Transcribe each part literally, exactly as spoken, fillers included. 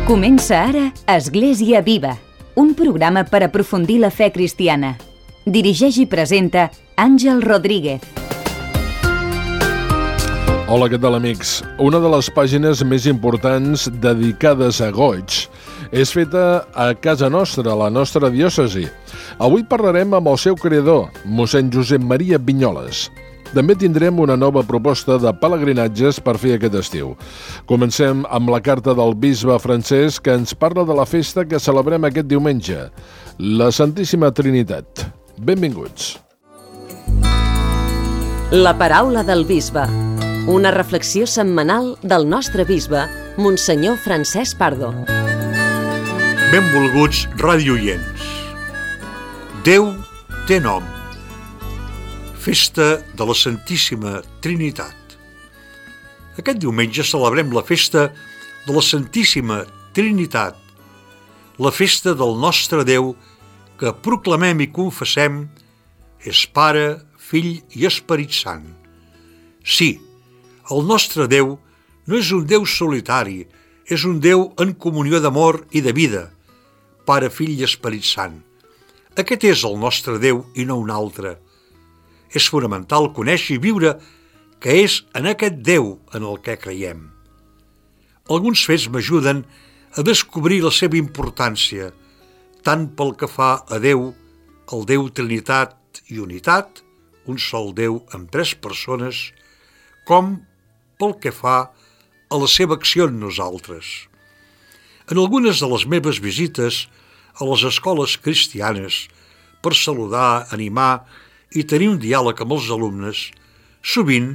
Comença ara Església Viva, un programa per aprofundir la fe cristiana. Dirigeix i presenta Àngel Rodríguez. Hola, què tal, amics? Una de les pàgines més importants dedicades a goigs és feta a casa nostra, a la nostra diòcesi. Avui parlarem amb el seu creador, mossèn Josep Maria Vinyoles. També tindrem una nova proposta de pelegrinatges per fer aquest estiu. Comencem amb la carta del bisbe Francesc, que ens parla de la festa que celebrem aquest diumenge, la Santíssima Trinitat. Benvinguts. La paraula del bisbe. Una reflexió setmanal del nostre bisbe, Monsenyor Francesc Pardo. Benvolguts radioients. Déu té nom. Festa de la Santíssima Trinitat. Aquest diumenge celebrem la festa de la Santíssima Trinitat, la festa del nostre Déu que proclamem i confessem és Pare, Fill i Esperit Sant. Sí, el nostre Déu no és un Déu solitari, és un Déu en comunió d'amor i de vida, Pare, Fill i Esperit Sant. Aquest és el nostre Déu i no un altre. És fonamental conèixer i viure que és en aquest Déu en el que creiem. Alguns fets m'ajuden a descobrir la seva importància, tant pel que fa a Déu, el Déu Trinitat i Unitat, un sol Déu amb tres persones, com pel que fa a la seva acció en nosaltres. En algunes de les meves visites a les escoles cristianes per saludar, animar i tenir un diàleg amb els alumnes, sovint,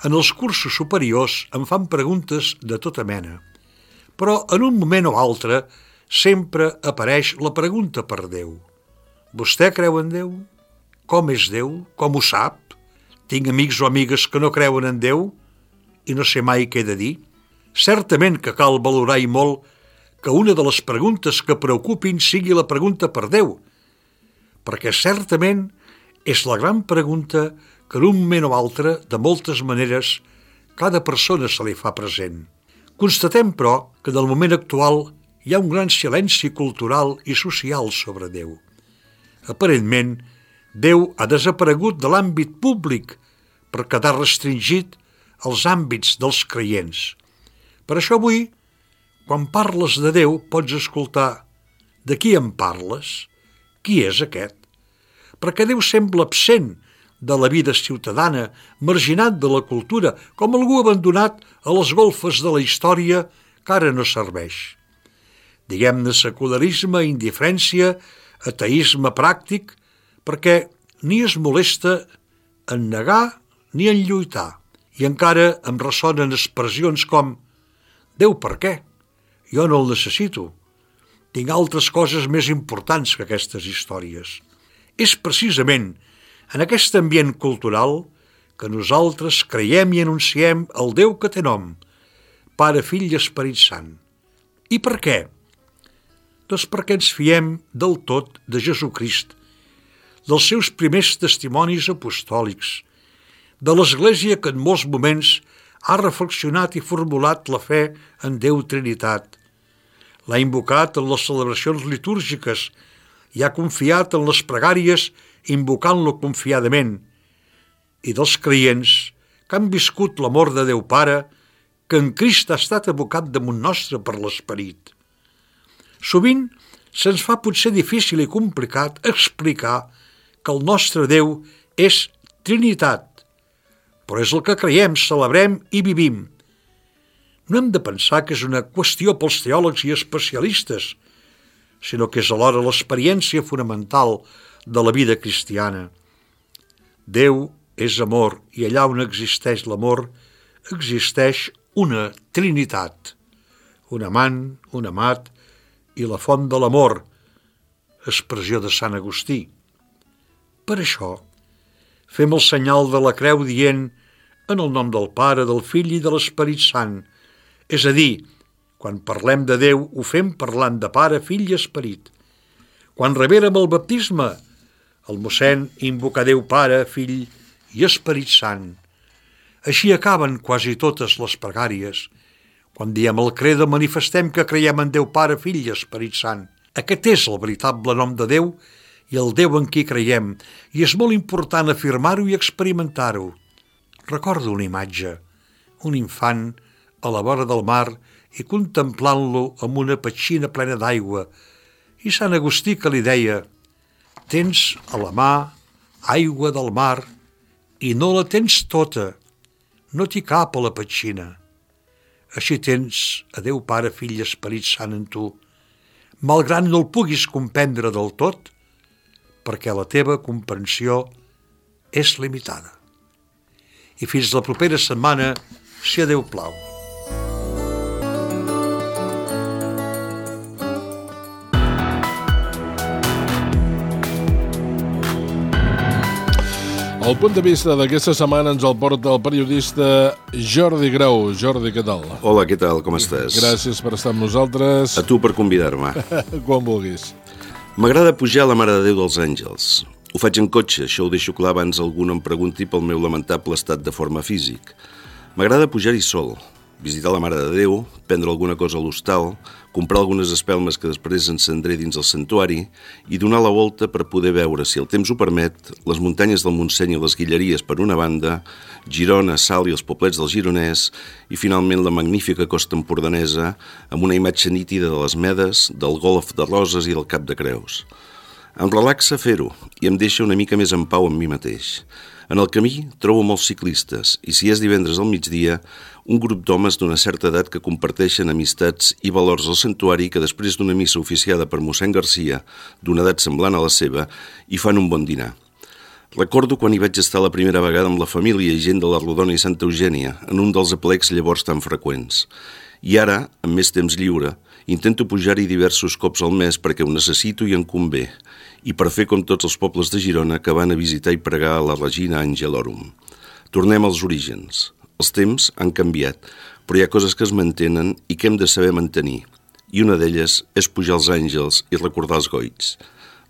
en els cursos superiors em fan preguntes de tota mena. Però en un moment o altre sempre apareix la pregunta per Déu. Vostè creu en Déu? Com és Déu? Com ho sap? Tinc amics o amigues que no creuen en Déu i no sé mai què he de dir? Certament que cal valorar i molt que una de les preguntes que preocupin sigui la pregunta per Déu, perquè certament és la gran pregunta que en un moment o altre, de moltes maneres, cada persona se li fa present. Constatem, però, que en el moment actual hi ha un gran silenci cultural i social sobre Déu. Aparentment, Déu ha desaparegut de l'àmbit públic per quedar restringit als àmbits dels creients. Per això avui, quan parles de Déu, pots escoltar de qui em parles? Qui és aquest? Perquè Déu sembla absent de la vida ciutadana, marginat de la cultura, com algú abandonat a les golfes de la història que ara no serveix. Diguem-ne secularisme, indiferència, ateisme pràctic, perquè ni es molesta en negar ni en lluitar. I encara em ressonen expressions com «Déu, per què? Jo no el necessito. Tinc altres coses més importants que aquestes històries». És precisament en aquest ambient cultural que nosaltres creiem i anunciem el Déu que té nom, Pare, Fill i Esperit Sant. I per què? Doncs perquè ens fiem del tot de Jesucrist, dels seus primers testimonis apostòlics, de l'Església que en molts moments ha reflexionat i formulat la fe en Déu Trinitat. L'ha invocat en les celebracions litúrgiques i ha confiat en les pregàries invocant-lo confiadament, i dels creients que han viscut l'amor de Déu Pare que en Crist ha estat abocat damunt nostre per l'Esperit. Sovint se'ns fa potser difícil i complicat explicar que el nostre Déu és Trinitat, però és el que creiem, celebrem i vivim. No hem de pensar que és una qüestió pels teòlegs i especialistes, sinó que és alhora l'experiència fonamental de la vida cristiana. Déu és amor i allà on existeix l'amor existeix una trinitat, un amant, un amat i la font de l'amor, expressió de Sant Agustí. Per això, fem el senyal de la creu dient en el nom del Pare, del Fill i de l'Esperit Sant, és a dir, quan parlem de Déu, ho fem parlant de Pare, Fill i Esperit. Quan reverem el baptisme, el mossèn invoca Déu Pare, Fill i Esperit Sant. Així acaben quasi totes les pregàries, Quan diem el credo manifestem que creiem en Déu Pare, Fill i Esperit Sant. Aquest és el veritable nom de Déu i el Déu en qui creiem, i és molt important afirmar-ho i experimentar-ho. Recordo una imatge, un infant a la vora del mar i contemplant-lo amb una petxina plena d'aigua, i Sant Agustí que li deia: tens a la mà aigua del mar i no la tens tota, no t'hi cap a la petxina. Així tens a Déu Pare, Fill i Esperit Sant en tu, malgrat no el puguis comprendre del tot, perquè la teva comprensió és limitada. I fins la propera setmana, si a Déu plau. El punt de vista d'aquesta setmana ens el porta el periodista Jordi Grau. Jordi, què tal? Hola, què tal? Com estàs? Gràcies per estar amb nosaltres. A tu per convidar-me. Quan vulguis. M'agrada pujar a la Mare de Déu dels Àngels. Ho faig en cotxe, això ho deixo clar abans algú em pregunti pel meu lamentable estat de forma físic. M'agrada pujar-hi sol, visitar la Mare de Déu, prendre alguna cosa a l'hostal, comprar algunes espelmes que després encendré dins el santuari i donar la volta per poder veure, si el temps ho permet, les muntanyes del Montseny i les Guilleries per una banda, Girona, Salt i els poblets del Gironès i finalment la magnífica costa empordanesa amb una imatge nítida de les Medes, del Golf de Roses i del Cap de Creus. Em relaxa fer-ho i em deixa una mica més en pau amb mi mateix. En el camí trobo molts ciclistes i si és divendres al migdia, un grup d'homes d'una certa edat que comparteixen amistats i valors al santuari que després d'una missa oficiada per mossèn Garcia, d'una edat semblant a la seva, hi fan un bon dinar. Recordo quan hi vaig estar la primera vegada amb la família i gent de la Rodona i Santa Eugènia, en un dels aplecs llavors tan freqüents. I ara, amb més temps lliure, intento pujar-hi diversos cops al mes perquè ho necessito i em convé, i per fer com tots els pobles de Girona que van a visitar i pregar a la Regina Angelorum. Tornem als orígens. Els temps han canviat, però hi ha coses que es mantenen i que hem de saber mantenir. I una d'elles és pujar als àngels i recordar els goigs.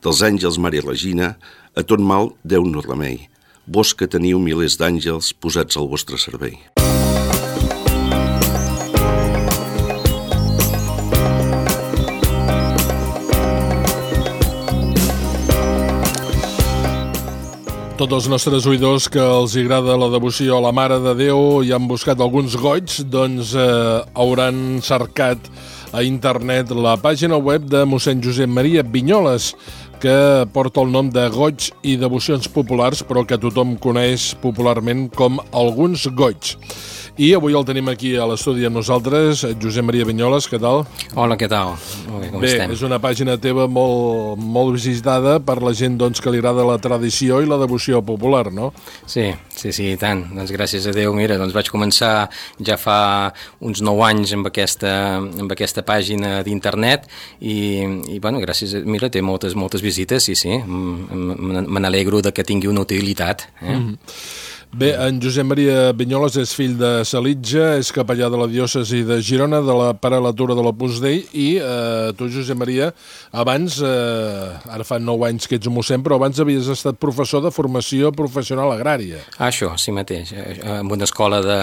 Dels àngels, Mare i Regina, a tot mal Déu no remei. Vos que teniu milers d'àngels posats al vostre servei. Tots els nostres oïdors que els agrada la devoció a la Mare de Déu i han buscat alguns goigs, doncs eh, hauran cercat a internet la pàgina web de mossèn Josep Maria Vinyoles, que porta el nom de Goigs i Devocions Populars, però que tothom coneix popularment com alguns goigs. I avui el tenim aquí a l'estudi amb nosaltres, Josep Maria Vinyoles, què tal? Hola, què tal? Molt bé, com bé, estem? És una pàgina teva molt, molt visitada per la gent doncs, que li agrada la tradició i la devoció popular, no? Sí, sí, sí, i tant. Doncs gràcies a Déu, mira, doncs vaig començar ja fa uns nou anys amb aquesta, amb aquesta pàgina d'internet i, i bueno, gràcies a... Mira, té moltes, moltes visites, sí, sí. Me n'alegro de que tingui una utilitat. Eh? Mm-hmm. Bé, en Josep Maria Vinyoles és fill de Salitja, és capellà de la diòcesi de Girona, de la prelatura de l'Opus Dei, i eh, tu, Josep Maria, abans, eh, ara fa nou anys que ets mossèn, però abans havies estat professor de formació professional agrària. Ah, això, sí mateix, en una escola de,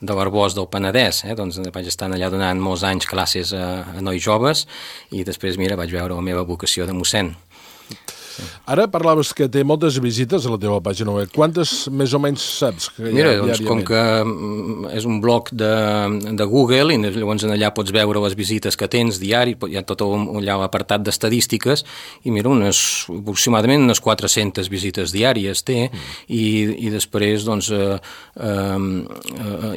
de l'Arboç del Penedès, eh? Doncs vaig estar allà donant molts anys classes a, a nois joves, i després, mira, vaig veure la meva vocació de mossèn. Ara parlaves que té moltes visites a la teva pàgina web. Quantes més o menys saps que hi ha Mira, diàriament? doncs com que és un blog de, de Google i llavors allà pots veure les visites que tens diari, hi ha tot allà l'apartat d'estadístiques i mira, unes, aproximadament unes quatre-centes visites diàries té mm. i, i després doncs eh, eh,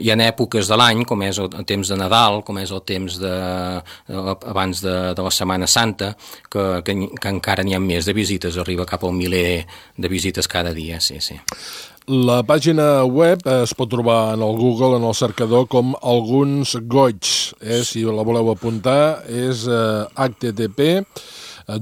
hi ha èpoques de l'any com és el temps de Nadal, com és el temps de, abans de, de la Setmana Santa que, que, que encara n'hi ha més de visites, arriba cap al miler de visites cada dia, sí, sí. La pàgina web es pot trobar en el Google, en el cercador, com alguns goigs. Eh? Si la voleu apuntar, és eh, h t t p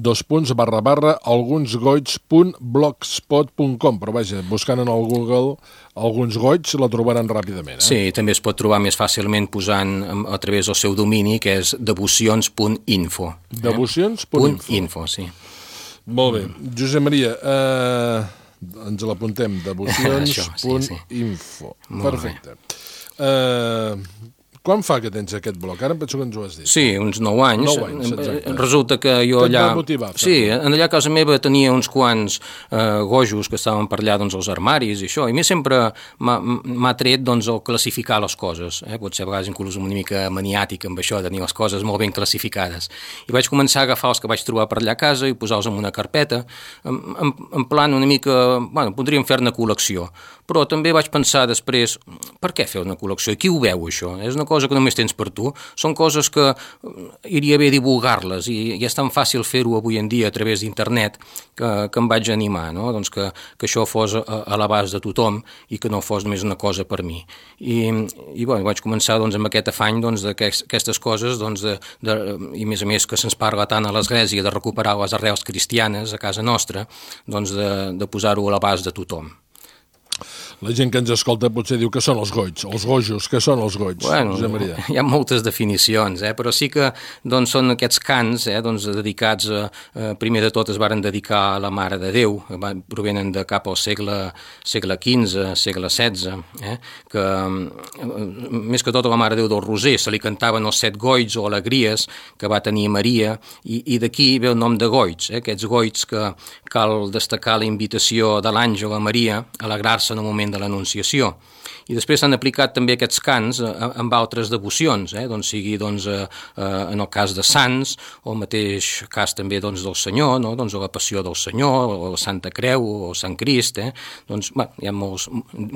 dos punts barra barra algunsgoigs punt blogspot punt com, però vaja, buscant en el Google alguns goigs la trobaran ràpidament. Eh? Sí, també es pot trobar més fàcilment posant a través del seu domini, que és devocions punt info. Eh? Devocions punt info. info, sí. Molt bé. Josep Maria, eh, ens l'apuntem, devocions punt info. Sí, sí. Perfecte. Eh, Quan fa que tens aquest bloc? Ara em penso que ens ho has dit. Sí, uns nou anys. Nou anys, exacte. Resulta que jo Què et allà... va motivar? Sí, allà a casa meva tenia uns quants eh, gojos que estaven per allà, doncs, als armaris i això, i a mi sempre m'ha tret, doncs, el classificar les coses, eh? Potser a vegades inclús una mica maniàtic amb això, de tenir les coses molt ben classificades. I vaig començar a agafar els que vaig trobar per allà a casa i posar-los en una carpeta, en, en, en plan una mica... Bueno, podríem fer-ne col·lecció, però també vaig pensar després, per què fer una col·lecció? I qui ho veu, això? És una cosa que només tens per tu, són coses que iria bé divulgar-les i, i és tan fàcil fer-ho avui en dia a través d'internet que, que em vaig animar, no? Doncs que, que això fos a, a l'abast de tothom i que no fos només una cosa per mi. I, i bueno, vaig començar, doncs, amb aquest afany, doncs, d'aquestes coses, doncs, de, de, i a més a més que se'ns parla tant a l'Església de recuperar les arrels cristianes a casa nostra, doncs de, de posar-ho a l'abast de tothom. La gent que ens escolta potser diu que són els goigs, els gojos, que són els goigs, bueno, Josep Maria? Hi ha moltes definicions, eh? Però sí que, doncs, són aquests cants, eh? doncs, dedicats, a, a, primer de tot es varen dedicar a la Mare de Déu, van, provenen de cap al segle, segle quinze, segle setze, eh? Que més que tot a la Mare de Déu del Roser se li cantaven els set goigs o alegries que va tenir Maria, i, i d'aquí ve el nom de goigs, eh? Aquests goigs que cal destacar la invitació de l'àngel a Maria a alegrar-se en el moment de l'Anunciació. I després s'han aplicat també aquests cants amb altres devocions, eh? Doncs sigui, doncs, eh, en el cas de Sants, o el mateix cas també, doncs, del Senyor, no? Doncs la Passió del Senyor, o la Santa Creu, o Sant Crist, eh? Doncs, bueno, hi ha molts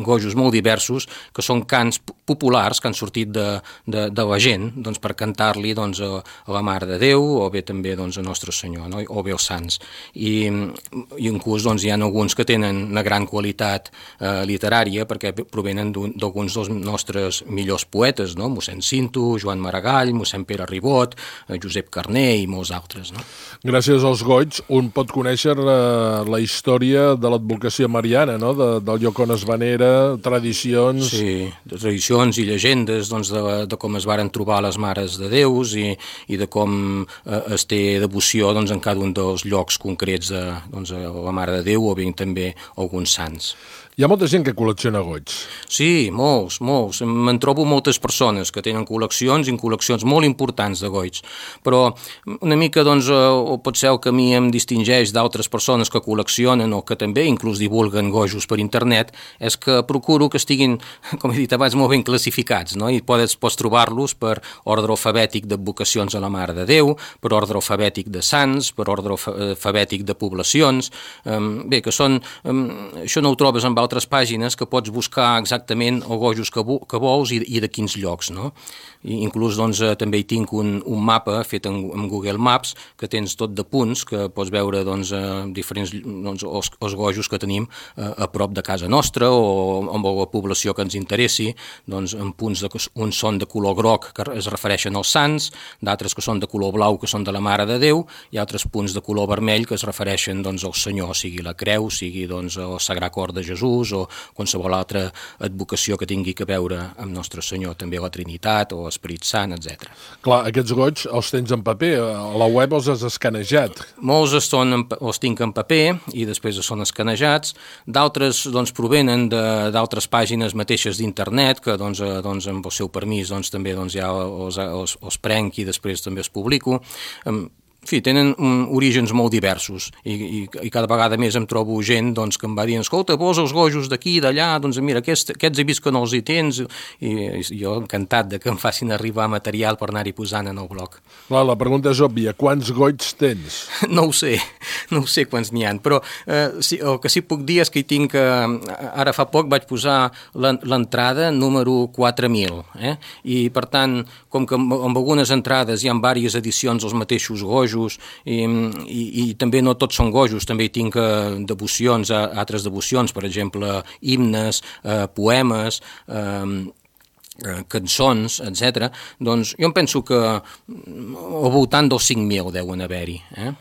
gojos molt diversos que són cants populars que han sortit de, de, de la gent, doncs, per cantar-li, doncs, a, a la Mare de Déu, o bé també, doncs, a Nostre Senyor, no? O bé als Sants. I, i inclús, doncs, hi ha alguns que tenen una gran qualitat eh, literària perquè provenen d'alguns dels nostres millors poetes, no? Mossèn Cinto, Joan Maragall, mossèn Pere Ribot, Josep Carner i molts altres, no? Gràcies als goigs un pot conèixer la, la història de l'advocacia mariana, no? De, del lloc on es venera, tradicions... Sí, de tradicions i llegendes, doncs, de, de com es varen trobar les Mares de Déus i, i de com eh, es té devoció, doncs, en cada un dels llocs concrets de, doncs, a la Mare de Déu o bé també alguns sants. Hi ha molta gent que col·lecciona goigs. Sí, molts, molts. Me'n trobo moltes persones que tenen col·leccions i col·leccions molt importants de goigs. Però una mica, doncs, o pot ser el que a mi em distingeix d'altres persones que col·leccionen o que també inclús divulguen gojos per internet, és que procuro que estiguin, com he dit abans, molt ben classificats, no? I pots, pots trobar-los per ordre alfabètic d'advocacions a la Mare de Déu, per ordre alfabètic de sants, per ordre alfabètic de poblacions. Bé, que són... Això no ho trobes amb altres pàgines, que pots buscar exactament els gojos que, que vols i, i de quins llocs, no? I inclús, doncs, també hi tinc un, un mapa fet en, en Google Maps que tens tot de punts, que pots veure, doncs, diferents, doncs, els, els gojos que tenim a, a prop de casa nostra o amb la població que ens interessi, doncs, en punts de, uns són de color groc que es refereixen als sants, d'altres que són de color blau que són de la Mare de Déu, i altres punts de color vermell que es refereixen, doncs, al Senyor, sigui la creu, sigui, doncs, el Sagrat Cor de Jesús o qualsevol altra advocació que tingui que veure amb Nostre Senyor, també la Trinitat o l'Esperit Sant, etcètera. Clar, aquests goigs els tens en paper, a la web els has escanejat. Molts són en, els tinc en paper i després són escanejats, d'altres, doncs, provenen d'altres pàgines mateixes d'internet que, doncs, doncs, amb el seu permís, doncs, també, doncs, ja els, els, els prenc i després també els publico. En fi, tenen um, orígens molt diversos i, i, i cada vegada més em trobo gent, doncs, que em va dir, escolta, vols els gojos d'aquí, d'allà, doncs mira, aquests, aquests he vist que no els hi tens, i, i jo encantat de que em facin arribar material per anar-hi posant en el blog. Clar, la pregunta és òbvia, quants goigs tens? No ho sé, no ho sé quants n'hi ha, però eh, sí, el que sí puc dir és que hi tinc, eh, ara fa poc vaig posar l'entrada número quatre mil, eh? I per tant, com que amb, amb algunes entrades hi ha diverses edicions els mateixos gojos, I, i, i també no tots són gojos, també hi tinc eh, devocions, eh, altres devocions, per exemple, himnes, eh, poemes, eh, eh, cançons, etcètera. Doncs jo em penso que al voltant dels cinc mil deuen haver-hi, eh?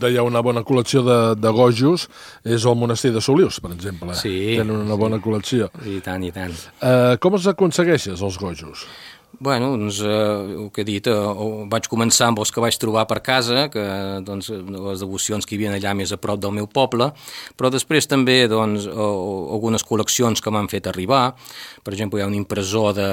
Deia una bona col·lecció de, de gojos és el monestir de Solius, per exemple. Sí. Tenen una bona col·lecció. I tant, i tant. Uh, com els aconsegueixes, els gojos? Bueno, doncs, eh, el que he dit, eh, vaig començar amb els que vaig trobar per casa, que doncs, les devocions que hi havia allà més a prop del meu poble, però després també doncs, algunes col·leccions que m'han fet arribar. Per exemple, hi ha un impressor de,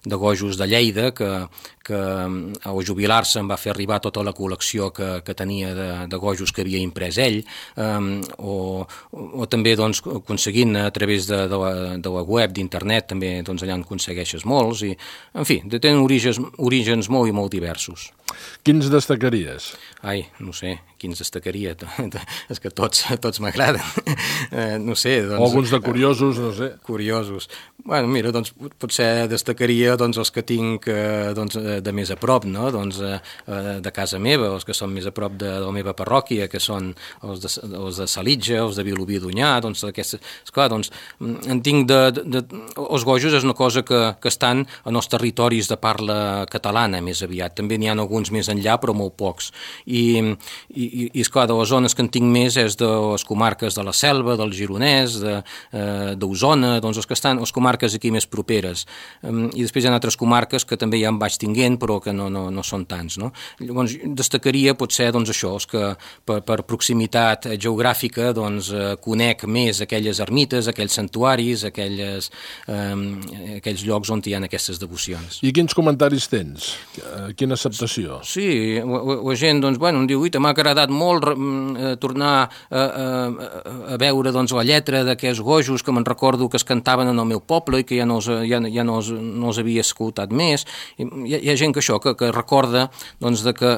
de gojos de Lleida que, que al jubilar-se em va fer arribar tota la col·lecció que, que tenia de, de gojos que havia imprès ell, eh, o, o també doncs, aconseguint a través de, de, la, de la web, d'internet, també doncs, allà en aconsegueixes molts, i en fi, tenen orígens, orígens molt i molt diversos. Quins destacaries? Ai, no sé, quins destacaria? És que tots, tots m'agraden. Eh, no sé, doncs... O alguns de curiosos, no sé. Curiosos. Bueno, mira, doncs potser destacaria doncs, els que tinc eh, doncs, de més a prop, no? Doncs, eh, de casa meva, els que són més a prop de, de la meva parròquia, que són els de, els de Salitja, els de Vilobí d'Onyar, doncs aquestes... Esclar, doncs, en tinc de, de, de... Els gojos és una cosa que, que estan en els territoris de parla catalana, més aviat. També n'hi ha alguns més enllà, però molt pocs. I, i, i esclar, de les zones que en tinc més és de les comarques de la Selva, del Gironès, d'Osona, de, eh, doncs els que estan, les comarques aquí més properes. Um, I després hi ha altres comarques que també ja en vaig tinguent, però que no, no, no són tants, no? Llavors, destacaria potser doncs, això, els que per, per proximitat geogràfica doncs, eh, conec més aquelles ermites, aquells santuaris, aquelles, eh, aquells llocs on hi ha aquestes devocions. I quins comentaris tens? Quina acceptació? Sí, la, la gent doncs, bueno, em diu, m'ha agradat molt eh, tornar a, a, a veure doncs, la lletra d'aquests gojos que me'n recordo que es cantaven en el meu poble i que ja no els, ja, ja no els, no els havia escoltat més. I hi, ha, hi ha gent que això, que, que recorda doncs, de que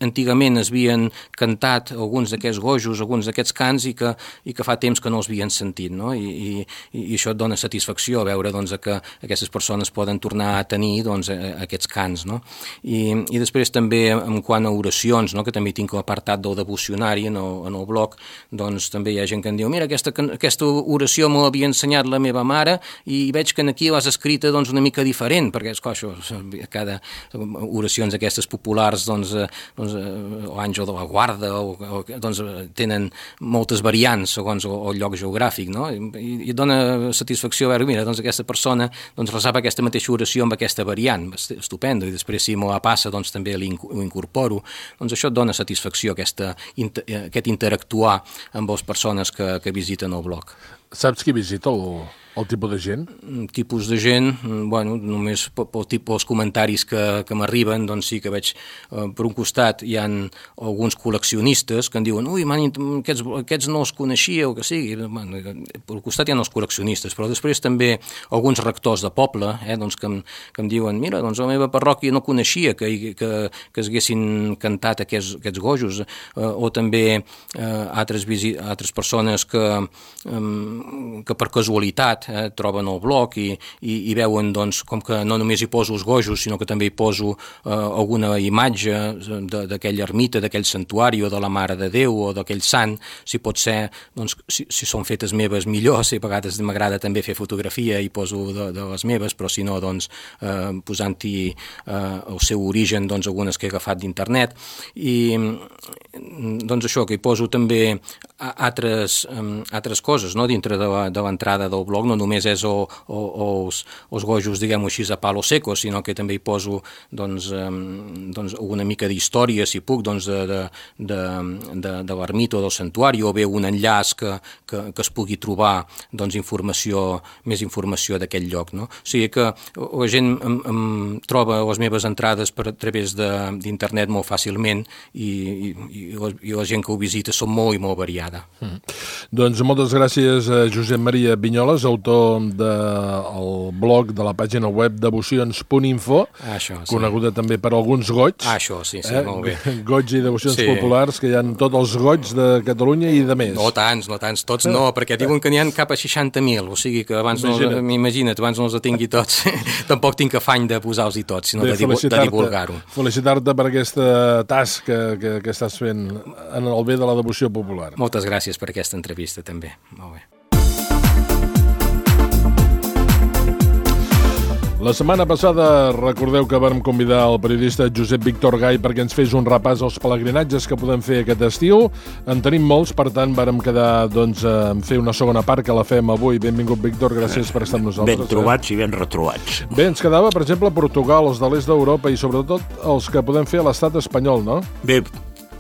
antigament es havien cantat alguns d'aquests gojos, alguns d'aquests cants i que, i que fa temps que no els havien sentit, no? I, i, i això et dona satisfacció veure doncs, que aquestes persones poden tornar a tenir doncs, aquests cants, no? I, i després també en quant a oracions, no? Que també tinc l'apartat del devocionari en el, en el blog, doncs també hi ha gent que em diu, mira, aquesta, aquesta oració me l'havia ensenyat la meva mare i veig que aquí l'has escrita doncs, una mica diferent, perquè esclar, això, cada oracions aquestes populars doncs, doncs, l'àngel de la guarda o, o, doncs, tenen moltes variants segons el, el lloc geogràfic, no? I, i dona satisfacció veure, mira, doncs aquesta persona doncs, resava aquesta mateixa oració amb aquesta variant, estupendo, i després si me la passa doncs, també ho incorporo, doncs això et dona satisfacció, aquesta, aquest interactuar amb les persones que, que visiten el blog. Saps qui visita el, el tipus de gent? Tipus de gent, bueno, només pel tipus, els comentaris que, que m'arriben, doncs sí que veig, eh, per un costat hi ha alguns col·leccionistes que em diuen, ui, man, aquests, aquests no els coneixia o que sigui, bueno, per un costat hi ha els col·leccionistes, però després també alguns rectors de poble, eh, doncs que, em, que em diuen, mira, doncs la meva parròquia no coneixia que, que, que es haguessin cantat aquests, aquests gojos, eh, o també eh, altres, visi, altres persones que eh, que per casualitat eh, troben el blog i, i, i veuen doncs, com que no només hi poso els gojos, sinó que també hi poso eh, alguna imatge d'aquella ermita, d'aquell santuari o de la Mare de Déu o d'aquell sant, si pot ser, doncs, si, si són fetes meves millor, si a vegades m'agrada també fer fotografia i poso de, de les meves, però si no, doncs, eh, posant-hi eh, el seu origen, doncs, algunes que he agafat d'internet. I doncs això, que hi poso també altres, um, altres coses, no?, dintre de l'entrada de del blog, no només és o, o, o els, els gojos, diguem-ho així, a palo seco, sinó que també hi poso doncs, um, doncs una mica d'història, si puc, doncs de, de, de, de, de l'ermita o del santuari, o bé un enllaç que, que, que es pugui trobar doncs, informació, més informació d'aquest lloc, no? O sigui que la gent em, em troba les meves entrades per a través d'internet molt fàcilment i, i, i, la, i la gent que ho visita són molt i molt variada. Mm. Doncs moltes gràcies a Josep Maria Vinyoles, autor del blog de la pàgina web devocions punt info, ah, això, sí. Coneguda també per alguns goigs. Ah, això, sí, sí, eh? molt bé. Goigs i devocions sí. populars, que hi ha tots els goigs de Catalunya i de més. No tants, no tants, tots no, perquè diuen que n'hi ha cap a seixanta mil, o sigui que abans imagina't, no, imagina't, abans no els tingui tots. Tampoc tinc afany de posar-los-hi tots, sinó de, de, de divulgar-ho. Felicitar-te per aquesta tasca que, que estàs fent en el bé de la devoció popular. Moltes gràcies per aquesta entrevista, també. Molt bé. La setmana passada recordeu que vam convidar el periodista Josep Víctor Gai perquè ens fes un repàs als pelegrinatges que podem fer aquest estiu. En tenim molts, per tant, vàrem quedar doncs, en fer una segona part que la fem avui. Benvingut, Víctor, gràcies per estar amb nosaltres. Ben trobats eh? i ben retrobats. Bé, ens quedava, per exemple, Portugal, els de l'est d'Europa i sobretot els que podem fer a l'estat espanyol, no? Bé,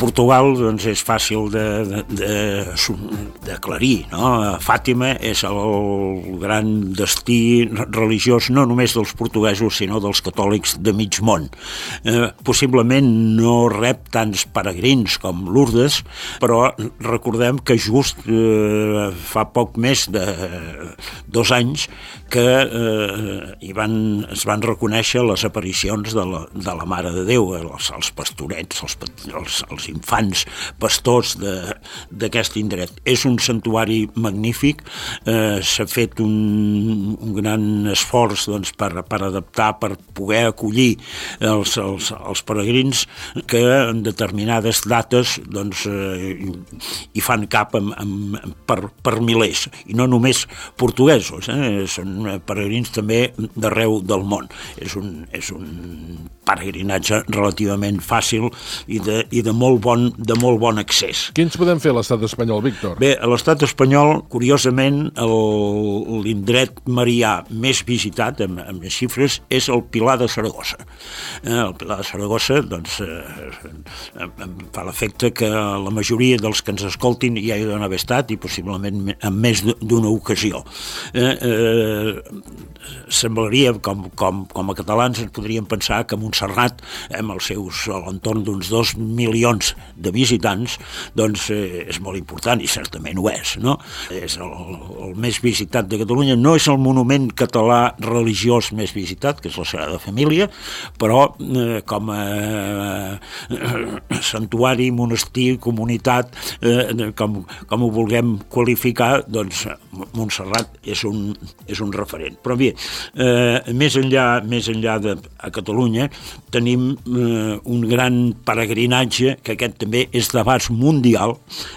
Portugal doncs, és fàcil d'aclarir, de, de, no? Fàtima és el gran destí religiós no només dels portuguesos sinó dels catòlics de mig món. Eh, possiblement no rep tants peregrins com Lourdes, però recordem que just eh, fa poc més de dos anys que eh, hi van, es van reconèixer les aparicions de la, de la Mare de Déu, els, els pastorets, els, els, els infants pastors d'aquest indret. És un santuari magnífic, eh, s'ha fet un, un gran esforç doncs, per, per adaptar, per poder acollir els, els, els peregrins que en determinades dates doncs, eh, hi fan cap amb, amb, per, per milers, i no només portuguesos, eh, són peregrins també d'arreu del món. És un, és un peregrinatge relativament fàcil i de, i de molt bon, de molt bon accés. Quins podem fer a l'estat espanyol, Víctor? Bé, a l'estat espanyol, curiosament, l'indret marià més visitat, amb, amb les xifres, és el Pilar de Saragossa. Eh, el Pilar de Saragossa, doncs, eh, em fa l'efecte que la majoria dels que ens escoltin ja hi deuen haver estat i possiblement en més d'una ocasió. Eh, eh, semblaria, com, com, com a catalans, ens podríem pensar que Montserrat, amb els seus, a l'entorn d'uns dos milions de visitants, doncs eh, és molt important, i certament ho és, no? És el, el més visitat de Catalunya, no és el monument català religiós més visitat, que és la Sagrada Família, però eh, com a eh, santuari, monestir, comunitat, eh, com, com ho vulguem qualificar, doncs Montserrat és un, és un referent. Però bé, eh, més enllà, més enllà de a Catalunya, tenim eh, un gran peregrinatge, que aquest també és d'abast mundial,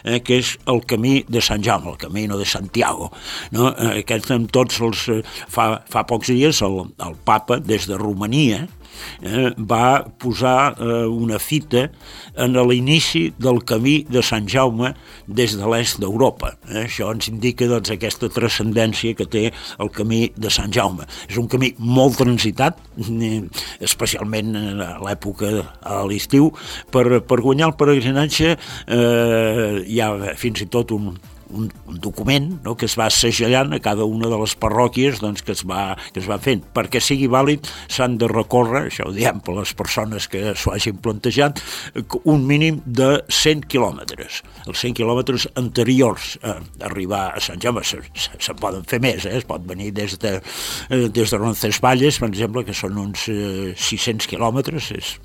eh, que és el camí de Sant Jaume, el Camino de Santiago. No? Eh, aquest amb tots els... Eh, fa, fa pocs dies el, el papa, des de Romania, Eh, va posar eh, una fita en l'inici del camí de Sant Jaume des de l'est d'Europa. Eh, això ens indica doncs, aquesta transcendència que té el camí de Sant Jaume. És un camí molt transitat, eh, especialment a l'època a l'estiu. Per, per guanyar el peregrinatge eh, hi ha fins i tot un Un, un document, no?, que es va segellant a cada una de les parròquies doncs, que, es va, que es va fent. Perquè sigui vàlid s'han de recórrer, això ho diem per les persones que s'ho hagin plantejat, un mínim de cent quilòmetres. Els cent quilòmetres anteriors a arribar a Sant Jaume se, se, se poden fer més, eh? Es pot venir des de, des de Roncesvalles, per exemple, que són uns eh, sis-cents quilòmetres, és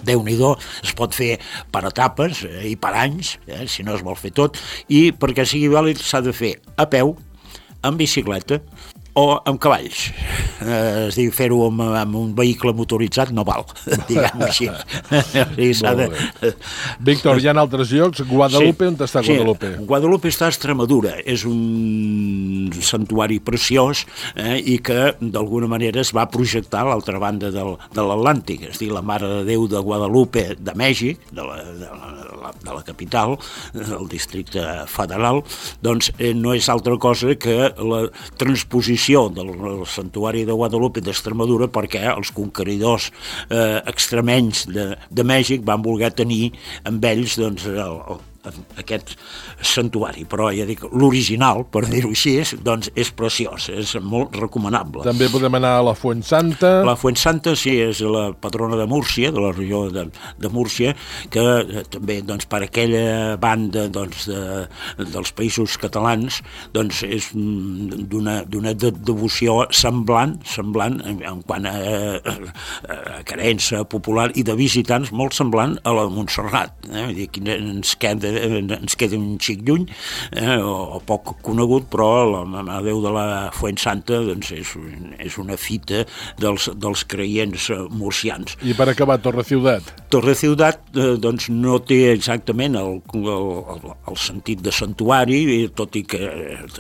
Déu-n'hi-do, es pot fer per etapes eh, i per anys, eh, si no es vol fer tot, i perquè sigui vàlid s'ha de fer a peu, en bicicleta o amb cavalls. Eh, es diu fer-ho amb, amb un vehicle motoritzat no val, diguem-ho així. Sí, s'ha de... Víctor, hi ha altres llocs. Guadalupe, sí, on està Guadalupe? Sí, Guadalupe està a Extremadura. És un santuari preciós eh, i que d'alguna manera es va projectar a l'altra banda del, de l'Atlàntic. És a dir, la Mare de Déu de Guadalupe de Mèxic, de la, de la, de la capital, del districte federal, doncs eh, no és altra cosa que la transposició del santuari de Guadalupe d'Extremadura, perquè els conqueridors eh, extremenys de, de Mèxic van voler tenir amb ells doncs, el, el aquest santuari, però ja dic, l'original, per dir-ho així, doncs és preciós, és molt recomanable. També podem anar a la Fuensanta. La Fuensanta, sí, és la patrona de Múrcia, de la regió de, de Múrcia, que eh, també doncs, per aquella banda doncs, de, dels països catalans doncs, és d'una d'una devoció semblant, semblant en, en quant a, a, a creença popular i de visitants molt semblant a la de Montserrat. Eh? Vull dir, aquí ens queda ens queda un xic lluny eh, o, o poc conegut, però la Mare de Déu de la Fuensanta doncs, és, és una fita dels, dels creients murcians. I per acabar, Torre Ciutat? Torre Ciutat eh, doncs, no té exactament el, el, el sentit de santuari, tot i que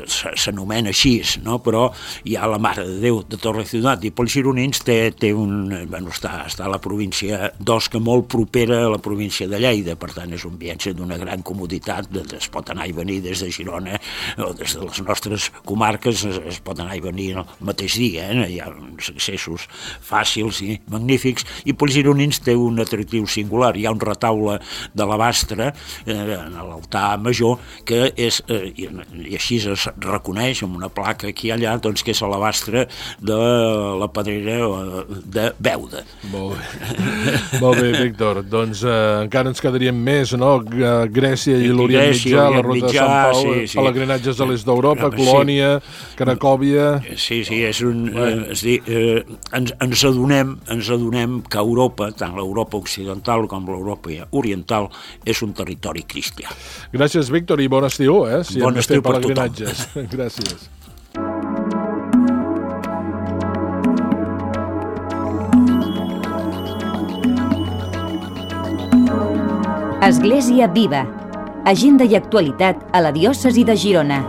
s'anomena així, no? Però hi ha la Mare de Déu de Torre-Ciutat, i pels gironins té, té un, bueno, està, està a la província d'Osca, molt propera a la província de Lleida, per tant és un viatge d'una gran comoditat, es pot anar i venir des de Girona o des de les nostres comarques, es, es pot anar i venir el mateix dia, eh? Hi ha uns accessos fàcils i magnífics, i pels gironins té un atractiu singular. Hi ha un retaule d'alabastre eh, en l'altar major que és, eh, i, i així es reconeix amb una placa aquí i allà, doncs que és alabastre de la pedrera de Beuda. Molt bé, Molt bé Víctor. Doncs eh, encara ens quedaríem més, no? Grècia i l'Orient Mitjà, la ruta de Sant Pau, sí, sí. Pelegrinatges a l'est d'Europa, sí. Colònia, Cracòvia... Sí, sí, és un... Eh, és dir, eh, ens, ens, adonem, ens adonem que Europa, tant l'Europa occidental com l'Europa oriental, és un territori cristià. Gràcies, Víctor, i bon estiu, eh? Si bon estiu per tothom. Gràcies. Església Viva. Agenda i actualitat a la diòcesi de Girona.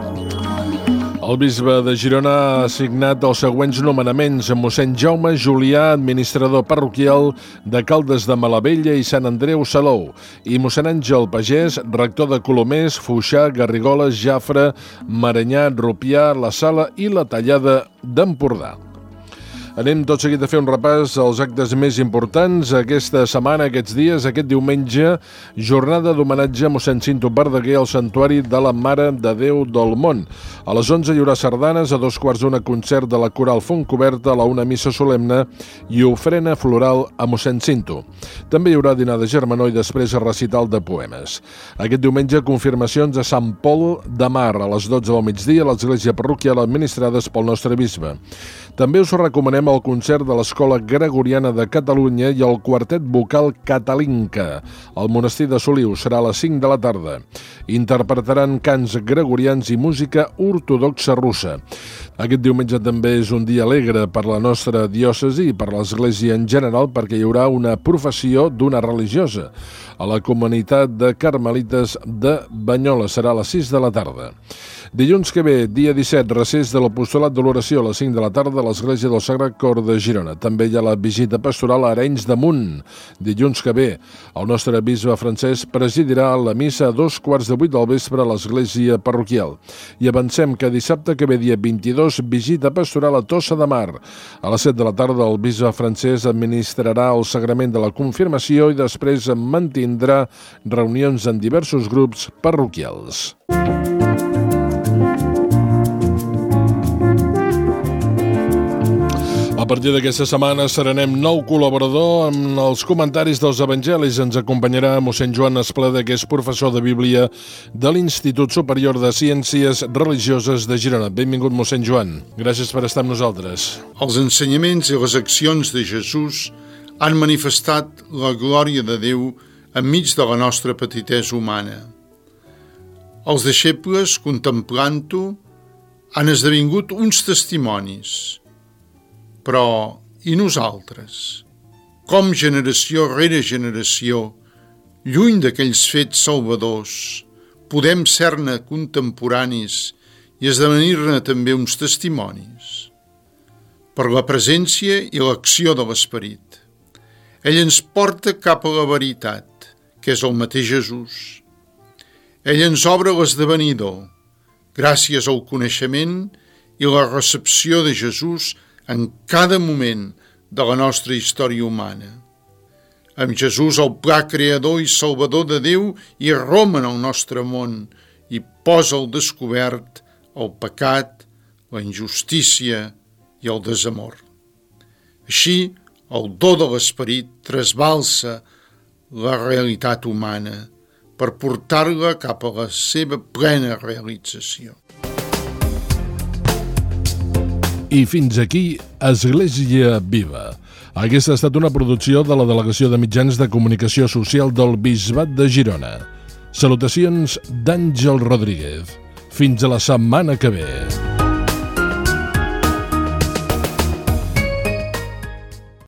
El bisbe de Girona ha signat els següents nomenaments: mossèn Jaume Julià, administrador parroquial de Caldes de Malavella i Sant Andreu Salou, i mossèn Àngel Pagès, rector de Colomers, Foixà, Garrigoles, Jafre, Maranyà, Rupià, la Sala i la Tallada d'Empordà. Anem tot seguit a fer un repàs als actes més importants aquesta setmana, aquests dies. Aquest diumenge, jornada d'homenatge a mossèn Cinto Verdaguer al Santuari de la Mare de Déu del Món. A les onze hi haurà sardanes, a dos quarts d'una concert de la Coral Fontcoberta, a la una missa solemne i ofrena floral a mossèn Cinto. També hi haurà dinar de germanor i després recital de poemes. Aquest diumenge, confirmacions a Sant Pol de Mar a les dotze del migdia a l'església parroquial administrades pel nostre bisbe. També us recomanem el concert de l'Escola Gregoriana de Catalunya i el quartet vocal Catalinca. El monestir de Soliu serà a les cinc de la tarda. Interpretaran cants gregorians i música ortodoxa russa. Aquest diumenge també és un dia alegre per la nostra diòcesi i per l'Església en general, perquè hi haurà una professió d'una religiosa a la comunitat de Carmelites de Banyoles. Serà a les sis de la tarda. Dilluns que ve, dia disset, recés de l'Apostolat de l'Oració a les cinc de la tarda a l'Església del Sagrat Cor de Girona. També hi ha la visita pastoral a Arenys de Munt. Dilluns que ve, el nostre bisbe Francesc presidirà la missa a dos quarts de vuit del vespre a l'Església parroquial. I avancem que dissabte que ve, dia vint-i-dos, visita pastoral a Tossa de Mar. A les set de la tarda, el bisbe Francesc administrarà el sagrament de la confirmació i després mantindrà reunions en diversos grups parroquials. A partir d'aquesta setmana serenem nou col·laborador amb els comentaris dels evangelis. Ens acompanyarà mossèn Joan Espleda, que és professor de Bíblia de l'Institut Superior de Ciències Religioses de Girona. Benvingut, mossèn Joan. Gràcies per estar amb nosaltres. Els ensenyaments i les accions de Jesús han manifestat la glòria de Déu enmig de la nostra petitesa humana. Els deixebles, contemplant-ho, han esdevingut uns testimonis. Però, i nosaltres? Com generació rere generació, lluny d'aquells fets salvadors, podem ser-ne contemporanis i esdevenir-ne també uns testimonis? Per la presència i l'acció de l'Esperit. Ell ens porta cap a la veritat, que és el mateix Jesús. Ell ens obre l'esdevenidor, gràcies al coneixement i la recepció de Jesús en cada moment de la nostra història humana. Amb Jesús, el pla creador i salvador de Déu, irromp en el nostre món i posa al descobert el pecat, la injustícia i el desamor. Així, el do de l'Esperit trasbalsa la realitat humana per portar-la cap a la seva plena realització. I fins aquí, Església Viva. Aquesta ha estat una producció de la Delegació de Mitjans de Comunicació Social del Bisbat de Girona. Salutacions d'Àngel Rodríguez. Fins a la setmana que ve.